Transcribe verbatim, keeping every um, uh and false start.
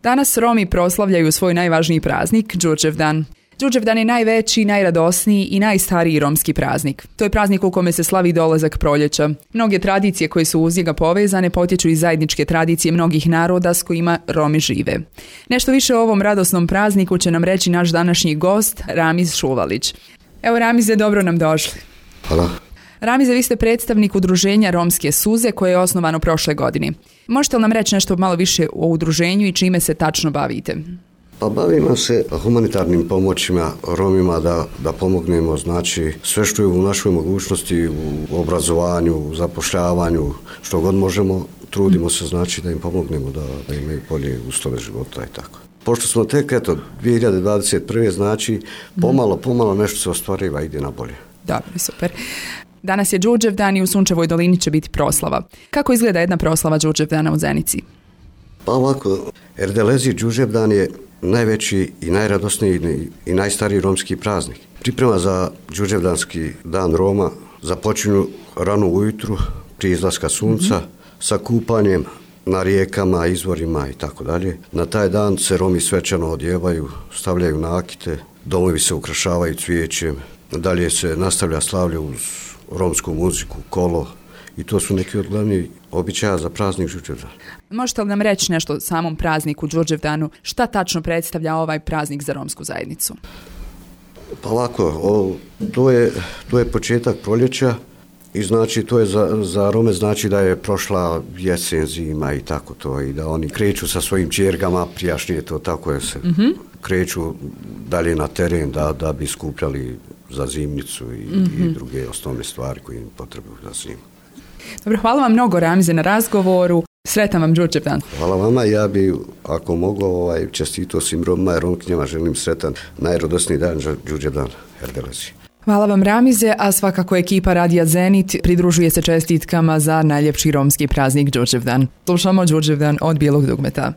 Danas Romi proslavljaju svoj najvažniji praznik, Đurđevdan. Đurđevdan je najveći, najradosniji i najstariji romski praznik. To je praznik u kome se slavi dolazak proljeća. Mnoge tradicije koje su uz njega povezane potječu iz zajedničke tradicije mnogih naroda s kojima Romi žive. Nešto više o ovom radosnom prazniku će nam reći naš današnji gost, Ramiz Šuvalić. Evo Ramize, dobro nam došli. Hvala. Ramize, vi ste predstavnik udruženja Romske suze koje je osnovano prošle godine. Možete li nam reći nešto malo više o udruženju i čime se tačno bavite? Pa bavimo se humanitarnim pomoćima Romima da, da pomognemo, znači sve što je u našoj mogućnosti, u obrazovanju, u zapošljavanju, što god možemo, trudimo se znači da im pomognemo da, da imaju bolje uslove života i tako. Pošto smo tek, eto, dvije hiljade dvadeset prve. znači pomalo, pomalo nešto se ostvariva, ide na bolje. Dobro, super. Danas je Đurđevdan i u Sunčevoj dolini će biti proslava. Kako izgleda jedna proslava Đurđevdana u Zenici? Pa ovako, Erdelezi Đurđevdan je najveći i najradosniji i najstariji romski praznik. Priprema za Đurđevdanski dan Roma započinju rano ujutru prije izlaska sunca mm-hmm. sa kupanjem na rijekama, izvorima i tako dalje. Na taj dan se Romi svečano odjevaju, stavljaju nakite, domovi se ukrašavaju cvijećem, dalje se nastavlja slavlje uz romsku muziku, kolo i to su neki od glavnih običaja za praznik Đurđevdan. Možete li nam reći nešto o samom prazniku Đurđevdanu? Šta tačno predstavlja ovaj praznik za romsku zajednicu? Pa ovako, o, to, je, to je početak proljeća i znači to je za, za Rome znači da je prošla jesen, zima i tako to i da oni kreću sa svojim ćergama, prijašnje to tako je se mm-hmm. kreću dalje na teren da, da bi skupljali za zimnicu i, mm-hmm. i druge osnovne stvari koje im potrebuju za zimu. Dobro, hvala vam mnogo Ramize na razgovoru. Sretan vam Đurđevdan. Hvala vama, ja bi ako mogu ovaj, čestito svim Romima i Romkinjama, želim sretan najradosniji dan Đurđevdan Erdelezi. Hvala vam Ramize, a svakako ekipa Radija Zenit pridružuje se čestitkama za najljepši romski praznik Đurđevdan. Slušamo Đurđevdan od Bijelog dugmeta.